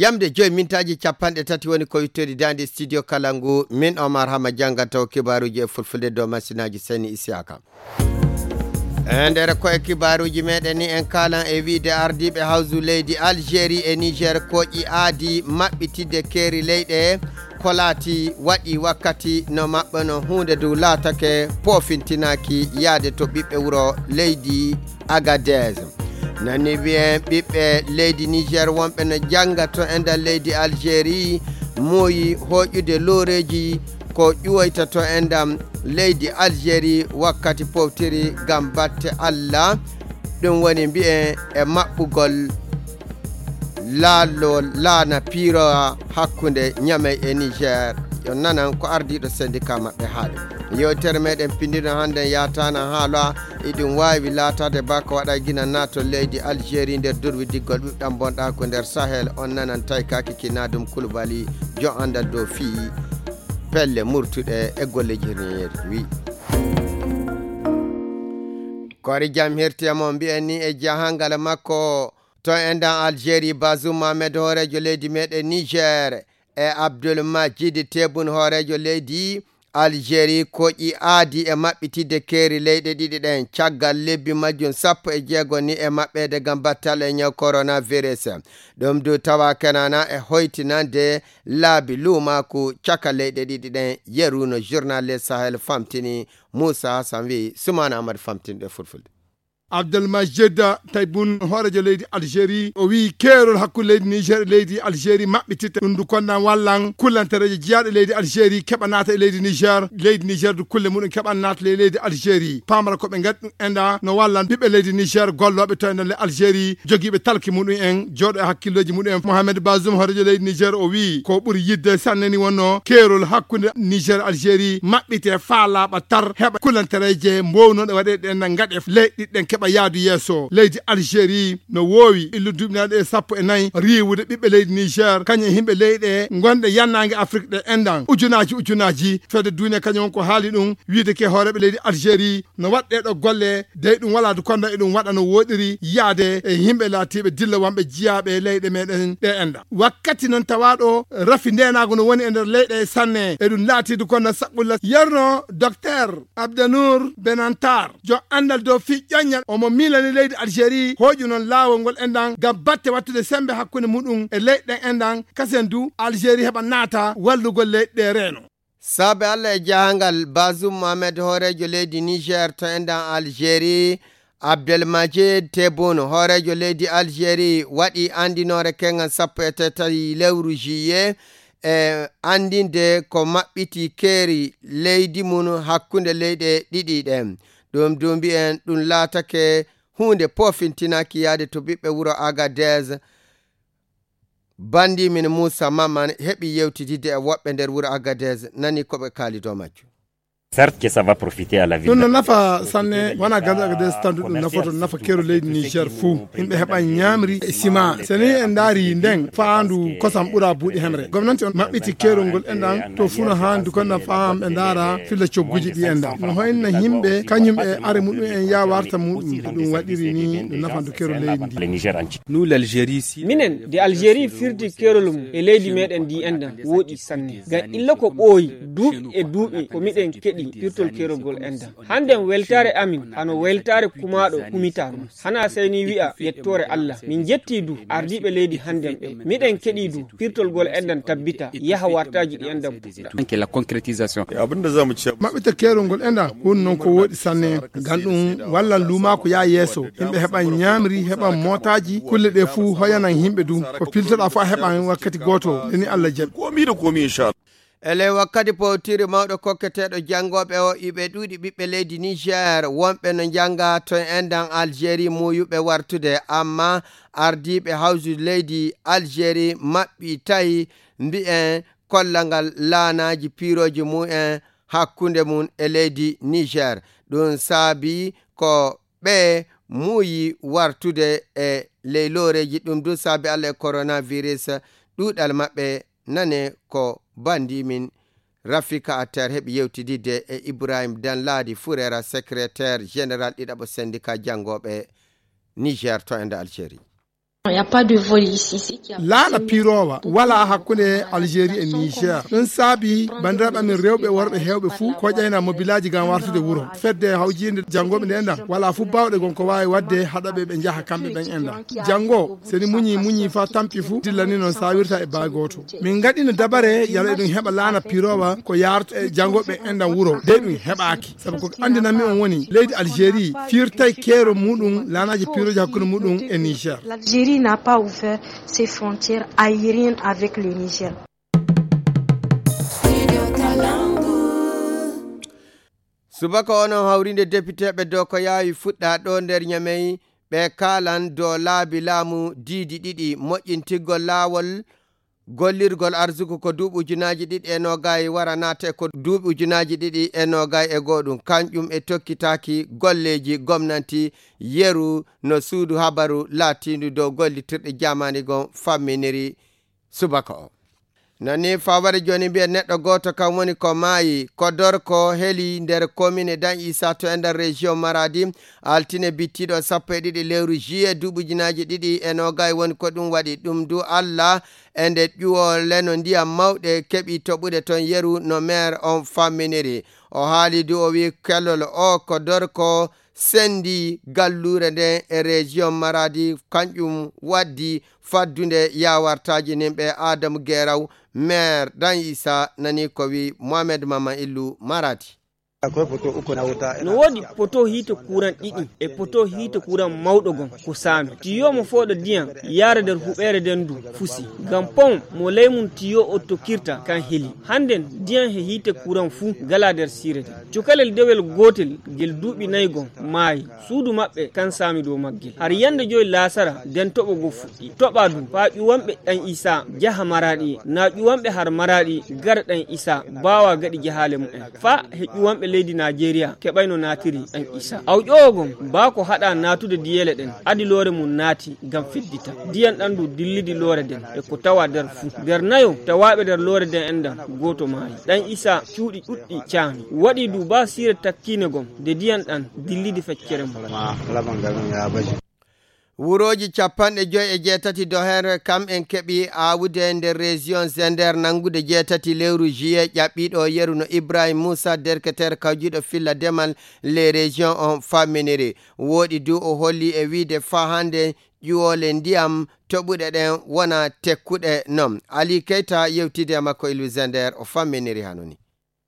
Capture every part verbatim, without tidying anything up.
Yamde joy mintaaji capanɗe tati woni ko wittori daande studio kala ngu, min Omar Hama janngantawo kibaaruuji e fulfulde dow masinaaji Seni Isiyaka. E nder ko e kibaaruuji meɗen ni en kaalan e wiide ardiiɓe hawsu leydi Algérie e Niger koƴi aadi maɓɓitidde keeri leyɗe ko laati waɗi wakkati no maɓɓe no huunde dow laatake poofintinaaki yaade to ɓiɓɓe wuro leydi Agadez. Nani wiyen ɓiɓɓe leydi Niger wonɓe no jannga to e nder leydi Algérie muuyi hooƴude looreeji ko ƴuwoyta to e nder leydi Algérie wakkati powtiri ngam batte Allah. Ɗum woni mbiyen e maɓɓugol laalo laana piirowa hakkunde Ñamey e Niger. Yo nanan ko ardiiɗo syndicat maɓɓe haali. Yewtere meɗen pindino hannde yaataana haala iɗum waawi laataade ba ko waɗa gina naatol leydi Algérie nder durwi diggol ɓiɓɗam bonɗa ko nder Sahel. On nanan taykaki kinaadum Kulubali jo anndal dow fii pelle murtuɗe e golle jirneyeeji wi. Koori jam hirti e mo mbiyen ni e jahangal makko to endan Algérie Bazoum Mohamed hooreejo leydi meɗen Niger e Abdul Majid Tebboune hooreejo leydi Algérie koƴi aadi e maɓɓitidde keeri leyɗe ɗiɗi ɗen caggal lebbi majjum sappo e jeego ni e maɓɓeede ngam battal e ñaw coronavirus. Ɗum du tawa kenana e hoytinande laabi luumaaku caka leyɗe ɗiɗi ɗen yeru no journal Le Sahel famtini. Moussa Hassan wi Soumana Amadou famtini ɗe fulfulde. Abdelmajid Taiboun hooreejo leydi Algérie o wi keerol hakkunde leydi Niger e leydi Algérie maɓɓititta ɗum du konnan wallan kullantereeje jiyaaɗe leydi Algérie keɓa naata e leydi Niger leydi Niger du kulle muɗum keɓan naata ley leydi Algérie pamara ko ɓe ngadi ɗum enda no wallan ɓiɓɓe leydi Niger gollooɓe to enda le Algérie jogiiɓe talki muɗum en jooɗo e hakkillooji muɗum en Mohamed Bazoum hooreejo leydi Niger o wi ko ɓuri yidde sanne ni wonno keerol hakkunde Niger Algérie maɓɓite faa laaɓa tar heɓa kulantereeje mbownooɗe waɗeede ɗen na ngaɗe leyɗe ɗen keɓa yaadu yeeso leydi Algérie no woowi illu duuɓinaaɗe e sappo e nayi riiwude ɓiɓɓe leydi Niger kañum e yimɓe leyɗe gonɗe yannaange Afrik ɗe endan ujunaaji ujunaaji fedde duniya kañum on ko haali ɗum wiide ke hooreeɓe leydi Algérie no waɗ ɗeeɗo golle dey ɗum walaade konda eɗum waɗa no wooɗiri yaade e yimɓe laatiiɓe dilla wonɓe jiyaaɓe leyɗe meɗen ɗe enda wakkati noon tawaaɗo rafi ndeenaagu no woni e nder leyɗe sanne eɗum laatiide konda saɓɓulla yerno docteur Abdanour Benantar jo anndal dow fii ƴoññal omo miilani leydi Algérie hooƴu noon laawol ngol endan ngam batte wattude sembe hakkunde muɗum e leyɗe ɗen endan kasen du Algérie heɓa naata wallugol leyɗe ɗe reeno. Saabe Allah e jahangal Bazoum Mohamed hooreejo leydi Niger to endan Algérie Abdelmajid Tebboune hooreejo leydi Algérie waɗi anndinoore kengan sappo e tati lewru juillet e anndinde ko maɓɓiti keeri leydi mum hakkunde leyɗe ɗiɗi ɗen. Ɗum du mbiyen ɗum laatake huunde poofintinaki yaade to ɓiɓɓe wuro Agadez. Banndi min Moussa Maman heɓi yewtididde e woɓɓe nder wuro Agadez nani ko ɓe kaali dow majjum. Certes que ça va profiter à la ville. Ɗum no nafa sanne wona ganda Agadez tan ɗum nafoto nafa keero leydi Niger fuu yimɓe heɓa ñaamri e sima seni en ndaari nden faandu kosam ɓura buuɗi hemre gomnanti on maɓɓiti keerol ngol endan to fuu no haandi kon na faam ɓe ndaara filla cogguji ɗi endan no hoynna yimɓe kañum e are muɗum en ya warta muɗum ɗum waɗiri ni no nafandu keero leydi ndi. Nous l'Algérie si minen de Algérie firti keerol mum e leydi meɗen ndi endan wooɗi sanne ngam illa ko ɓooyi duuɓi e duuɓi ko miɗen keɗi firtol keerol ngol endan hannden weltaare amin hano weltaare kumaaɗo kumitaa ma hana sey ni wi'a yettoore Allah min njettii du ardiiɓe leydi hannden ɓe miɗen keɗii du firtol ngol endan tabbita yaha wartaaji ɗi endan puɗɗa. Anke la concrétisation. Abin da za mu ce maɓɓita keerol ngol endan woni noon ko wooɗi sanne ngam ɗum wallan luumaaku yaa yeeso yimɓe heɓan ñaamri heɓan mootaaji kulle ɗe fuu hoyanan yimɓe du ko piltoɗaa fof a heɓan wakkati gooto leni Allah jaɓi. Komi da komi inshallah. E ley wakkati powtiri mawɗo kokketeeɗo janngooɓe o iɓe ɗuuɗi ɓiɓɓe leydi Niger wonɓe no njannga to endan Algérie muuyuɓe wartude amma ardiiɓe hawsude leydi Algérie maɓɓi tawi mbiyen kollal ngal laanaaji piirooji mumen hakkunde mum e leydi Niger. Ɗum saabi ko ɓe muuyi wartude e ley looreeji ɗum du saabi Allah e coronavirus ɗuuɗal maɓɓe nane ko banndi min Rafika Atter heɓi yewtididde e Ibrahim Danladi Furera secrétaire général ɗiɗaɓo syndicat janngooɓe Niger to ende Algérie. Il n'y a pas de vol ici. Laana piiroowa walaa hakkunde Algérie e Niger. Ɗum saabi banndiraaɓe amen rewɓe e worɓe heewɓe fuu ko ƴayna mobilaaji ngam wartude wuro. Fedde hawjiinde janngooɓe nde enɗam walaa fuu baawɗe gon ko waawi waɗde haɗaɓe ɓe njaha kamɓe ɓen enɗam. Janngo, so ni muñi muñi faa tampi fuu, dillani noon saawirta e baa gooto. Min ngaɗino dabare yala eɗum heɓa laana piiroowa ko yaarta e janngooɓe enɗam wuro. De ɗum heɓaaki. Sabu ko anndinanmi on woni leydi Algérie firtay keero muɗum laanaaji piirooji hakkunde muɗum e Niger. L'Algérie n'a pas ouvert ses frontières aériennes avec le Niger. Subaka onon hawrinde depiteeɓe dow ko yaawi fuɗɗa ɗo nder Ñamey, ɓe kaalan dow laabi laamu diidi ɗiɗi moƴƴintirgol laawol gollirgol arsuku ko duuɓi ujunaaji ɗiɗi e noogay wara naate ko duuɓi ujunaaji ɗiɗi e noogay e go'oɗum, kanƴum e tokkitaaki golleeji gomnanti yeru no suudu habaru laatiindu dow gollitirɗe jaamaani gon famminiri subaka o. Nani faware jooni mbiyen neɗɗo gooto kam woni ko maayi ko dorko heli nder komine dan isa to e nder région maradi altine bittiɗo sappo e ɗiɗi lewru juillet duuɓi ujunaaji ɗiɗi e noogay woni ko ɗum waɗi ɗum du allah e nde ƴuwole no ndiyam mawɗe keɓi toɓude toon yeru no maire on famminiri. O haali du o wi kellol o ko dorko sendi galluure nden e région maradi kanƴum waddi faddunde yawartaji nin ɓe adamu geraw maire dan isa nani ko wi mohamed mama illu maradi. No woodi poto hiite kuran ɗiɗi e poto hiite kuran mawɗo gon ko saami tiyo mo fooɗa diyan yaara nder huɓeere nden ndu fusi ngam pon mo ley mum tiyo o tokkirta kan heli. Hannden diyan he hiite kuran fuu gala nder siire nden. Cukalel dewel gootel ngel duuɓi nayi gon maayi. Suudu maɓɓe kan saami dow maggel har yande joyi laasara nden toɓo go fuɗɗi toɓa du faa ƴuwanɓe ɗan isa jaha maraɗi na ƴuwanɓe har maraɗi gara ɗan isa baawa gaɗi jahaale mumen faa he ƴuwanɓe leydi najeriya keɓayno naatiri ɗan isa awƴowo gon baa ko haɗa naatude diyeele ɗen adi loore mum naati ngam feddita diyan ɗan du dillidi loore nden e ko tawa nder fuu nder nayo tawaaɓe nder loore nden enɗan gooto maayi ɗan isa cuuɗi ɗuɗɗi caami waɗi du baa siire takkiine gon nde diyan ɗan dillidi feccere mum. Wurooji capanɗe joy e jeetati dohere kam en keɓi aawude nder région zender nanngude jeetati lewru juillet ƴaɓɓiiɗo yeru no ibrahim moussa derketer kawjiiɗo filla demal les régions on famminiri. Wooɗi du o holli e wiide faa hannde ƴuwoole ndiyam toɓuɗe ɗen wona tekkuɗe non. Ali keyta yewtidi e makko e luisender o famminiri hanoni.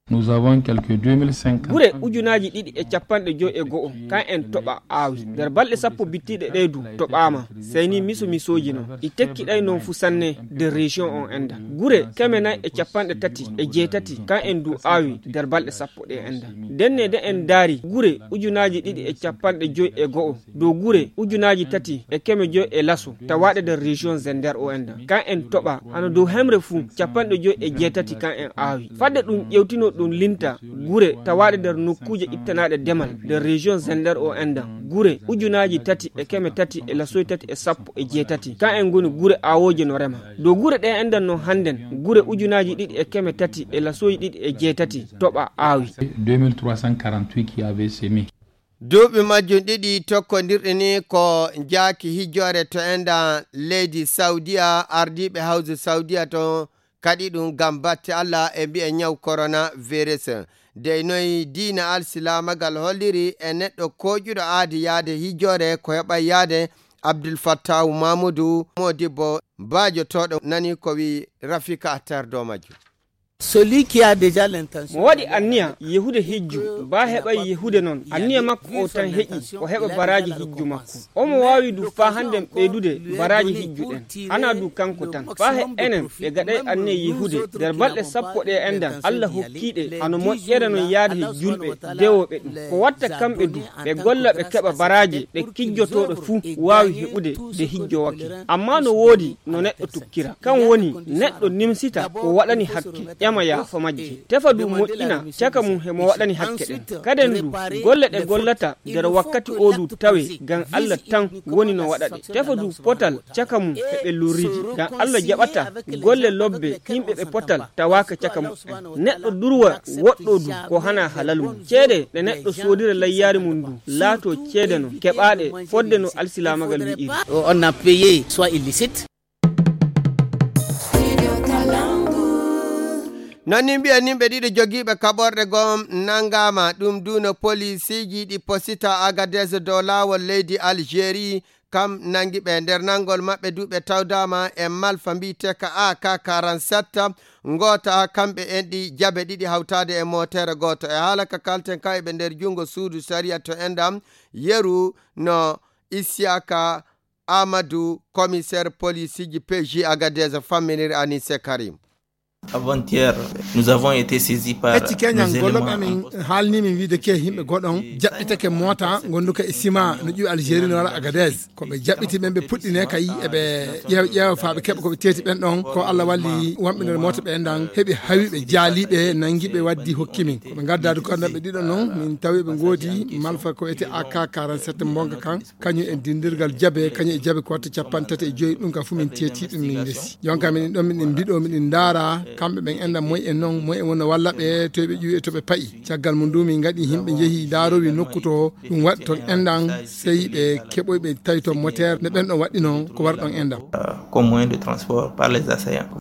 Nous avons quelques deux mille cinq cents gure ujunaaji ɗiɗi e capanɗe joy e go'o kan en toɓa aawi nder balɗe sappo bittiɗe ɗe du toɓaama. Sey ni miso misooji non ɗi tekkiɗay non fu sanne nder région on enda gure keme nay e capanɗe tati e jeetati kan en du aawi nder balɗe sappo ɗe enda. Ndenne de en ndaari gure ujunaaji ɗiɗi e capanɗe joy e go'o dow gure ujunaaji tati e keme joy e laso tawaaɗe nder région zender o enda kan en toɓa hano dow hemre fuu capanɗe joy e jeetati kan en aawi fadde ɗum ƴewtino ɗum linta gure tawaaɗe nder nokkuuje ittanaaɗe demal nder région zender o endan gure ujunaaji tati e keme tati e lasoy tati e sappo e jeetati kan en ngoni gure aawooje no rema dow gure ɗe endan non hannden gure ujunaaji ɗiɗi e keme tati e lasoy ɗiɗi e jeetati toɓa aawi. Deux mille trois cent quarante-huit qui avait semé. Duuɓi majjum ɗiɗi tokkondirɗi ni ko njaaki hijjoore to enɗan leydi Sawdiya, ardiiɓe hawju Sawdiya ton kaɗi ɗum ngam batte Allah e mbi'e ñaw korona virus. Dey noy diina alsilaamagal holliri e neɗɗo kooƴuɗo aadi yaade hijjoore ko heɓay yaade Abdul Fattahu Mamudu Modibbo baajotooɗo nani ko wi Rafika Attar dow majjum. Celui qui a déjà l'intention mo waɗi anniya yehude hijju ba heɓay yehude non anniya makko o tan heƴi o heɓa baraji hijju makko. Omo waawi du faa hannden ɓeydude baraaji hijju ɗen. Hanaa du kanko tan, faa he enen ɓe gaɗay anniya yehude nder balɗe sappo ɗe enɗan Alla hokkii ɗe, hano moƴƴere non yaade he julɓe dewooɓe ɗum. Ko watta kamɓe du ɓe golla ɓe keɓa baraaje ɗe kijjotooɗo fuu waawi heɓude nde hijjowake. Ammaa no woodi no neɗɗo tukkira, kan woni neɗɗo nimsita ko waɗani hakke, ƴama Mo yaafo majji. Tefa du moƴƴina caka mum he mo waɗani hakke ɗen. Kaden du, golle ɗe gollata nder wakkati o du tawe ngam Allah tan woni no waɗa ɗe. Tefa du potal caka mum he ɓe lorriji. Ngam Allah jaɓata golle lobbe yimɓe ɓe potal tawaaka caka muɓɓen. Neɗɗo durwa woɗɗo du ko hana halal mum. Ceede ɗe neɗɗo soodira layyaari mum du laato ceede non keɓaaɗe fodde no alsilaamagal wi'iri. On a payé soit illicite. Non ni mbiyen yimɓe ɗiɗo jogiiɓe kaɓorɗe gom nanngaama. Ɗum du no poliisiiji ɗi posita Agadez dow laawol leydi Algérie, kam nanngi ɓe. Nder nanngol maɓɓe du ɓe tawdaama e malfa mbiyeteeka A K quarante-sept, ngoota kamɓe en ɗi jabe ɗiɗi hawtaade e mootere gooto. E haala ka kalten ka e ɓe nder junngo suudu sariya to enɗam, yeru no Isiyaka Amadou, commissaire police ji P J Agadez, famminiri Anise Karim. Avant-hier, nous avons été saisis par Ecci keñal nos ngol éléments amin en poste. Haalni min wiide ke yimɓe goɗon jaɓɓitake moota gonduka e sima no ƴiwi Algérie no wara Agadez. Ko ɓe jaɓɓiti ɓen ɓe puɗɗine kay eɓe ƴeewa ƴeewa faa ɓe keɓa ko ɓe teeti ɓen ɗon. Ko Allah walli wonɓe nder moota ɓe enɗan heɓi hawi ɓe jaali ɓe nangi ɓe waddi hokki min. Ko ɓe ngaddaadu ko ɓe ɗiɗo non min tawi ɓe ngoodi malfa ko wiyete A K quarante-sept mbonga kan. Kañum e dindirgal jabe, kañum e jabe ko watta capanɗe tati e joyi, ɗum ka fu min teeti ɗum min ndesi. Jonka minen ɗon minen mbiɗo minen ndaara kamɓe ɓen enɗan moy en non, moy en wonno walla ɓe to ɓe ƴuwi e to ɓe pa'i. Caggal mum du min ngaɗi yimɓe njehi ndaarowi nokku to ɗum waɗi ton enɗan, sey ɓe keɓoy ɓe tawi ton moteur ne ɓen ɗon waɗɗi non ko wari ɗon enɗan. Comme moyen de transport par les assaillants.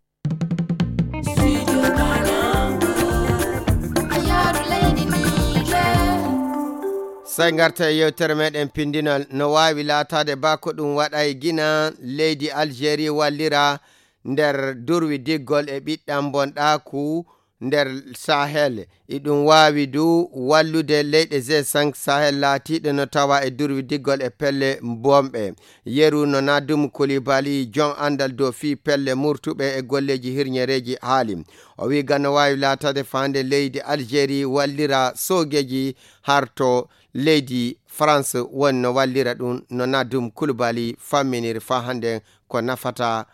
Sey ngarta e yewtere meɗen pindinal. No waawi laataade ba ko ɗum waɗay gina leydi Algérie wallira nder durwi diggol e ɓiɗɗam bonɗaaku nder Sahel. Iɗum waawi du wallude leyɗe G cinq Sahel laatiiɗe no tawa e durwi diggol e pelle bonɓe. Yeru no Nadum Koulibaly, jon anndal dow fii pelle murtuɓe e golleeji hirñereeji haali. O wi'i gano waawi laataade faande leydi Algérie wallira soogeeji harto leydi France woni no wallira ɗum no Nadum Koulibaly famminiri faa hannde ko nafata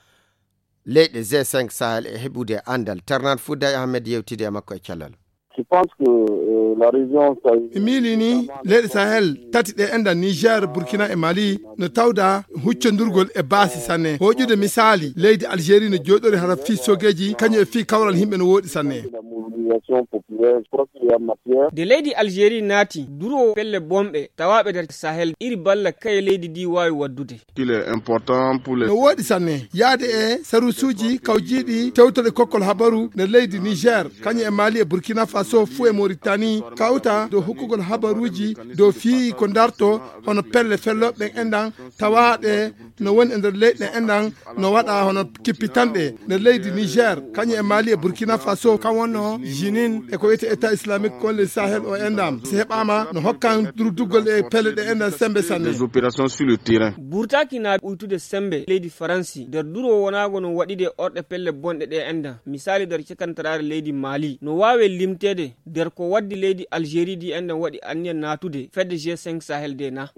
leyɗe G cinq Sahel e heɓude anndal. Ternat Fouday Ahmed yewtidi e makko e cellal. Je pense que, euh, la région Sahel mi miili ni leyɗe Sahel tati ɗe enɗan Niger, Burkina e Mali no tawda huccondurgol e baasi sanne. Hoƴude misaali leydi Algérie no jooɗori hara fii soogeeji kañum e fii kawral yimɓe no wooɗi sanne. La mobilisation populaire, je crois qu'il y a matière. Nde leydi Algérie naati duroowo pelle bonɓe tawaaɓe nder Sahel iri balla kaye leydi ndi waawi waddude. Qu'il est important pour les No wooɗi sanne yaade e saruusuuji kawjiiɗi tewtoɗe kokkol habaru nder leydi Niger, kañum e Mali e Burkina Faso fuu e Mauritanie kawta dow hokkugol habaruuji dow fii ko darto hono pelle fellooɓe ɓen enɗan tawaaɗe no woni e nder leyɗe ɗen enɗan no waɗa hono kippitanɗe nder leydi Niger, kañum e Mali e Burkina Faso, kam wonno Jinin e ko wiyete État Islamique Collège Sahel o enɗan. Si heɓaama no hokkan durduggol e pelle ɗe enɗan sembe sanne. Des opérations sur le terrain. Burtaaki na uytude sembe leydi Faransi nder duro wonaago no waɗide orɗe pelle bonɗe ɗe enɗan. Misaali nder cakantaraare leydi Mali no waawe limteede nder ko waddi leydi Algérie ndi enɗan waɗi anniya naatude fedde G cinq Sahel de na.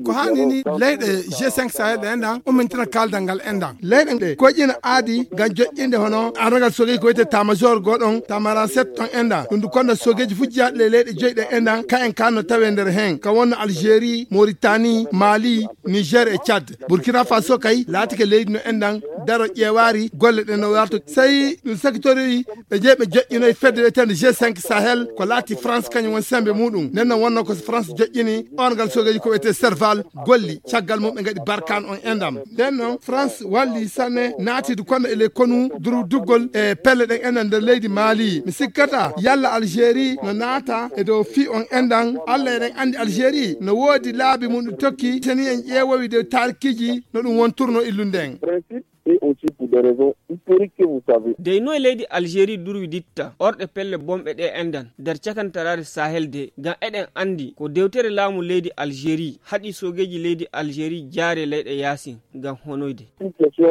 Ko haani ni leyɗe G cinq Sahel ɗe enɗan ummintina kaaldal ngal enɗan. Leyɗe ɗe koƴƴina aadi ngam joƴƴinde hono ardagal soogeeji ko wiyete tamajor goo ɗon, tamara sept ton enɗan. Ɗum du konda soogeeji fu jeyaaɗi ley leyɗe joyi ɗe enɗan, ka en ka no tawe nder hen. Ka wonno Algérie, Mauritanie, Mali, Niger e Tchad. Burkina Faso kay laatike leydi no enɗan daro ƴeewaari golle ɗen no warto. Sey ɗum sakitori ɓe jeyi ɓe joƴƴinoyi fedde wiyeteende G cinq Sahel ko laati France kañum woni sembe muɗum. Nden non wonno ko France joƴƴini orgal soogeeji ko wiyetee Serval golli. Caggal mum ɓe ngaɗi barkaan on enɗan. Nden non France walli sanne naatidu kono e ley konu durduggol e pelle ɗen enɗan nder leydi Mali. Mi sikkata yalla Algérie no naata e dow fii on enɗan. Allah eɗen anndi Algérie no woodi laabi mum ɗi tokki. Teni en ƴeewowi dow taarikiiji no ɗum wonturno illude en. Principe et aussi pour des raisons historiques que vous savez. Dey noy leydi Algérie durwi ditta orɗe pelle bonɓe ɗe enɗan nder cakantaraare Sahel de, ngam eɗen anndi ko dewtere laamu leydi Algérie haɗi soogeeji leydi Algérie jaare leyɗe yaasin ngam honoyde.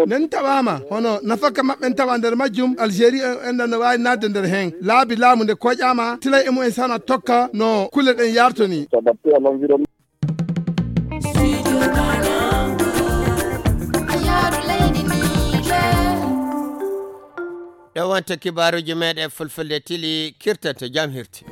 Nen tawaama hono nafaka maɓɓen tawa nder majjum Algérie en enɗan no waawi naatde nder heen. Laabi laamu nde koƴaama tilay e mumen sana tokka no kulle ɗen yarto ni. S'adapter à l'environnement. Studio Kalangu, a yaaru leydi Niger. Ɗo wonta kibaaruuji meɗen fulfulde tili kirtanto jam hirti.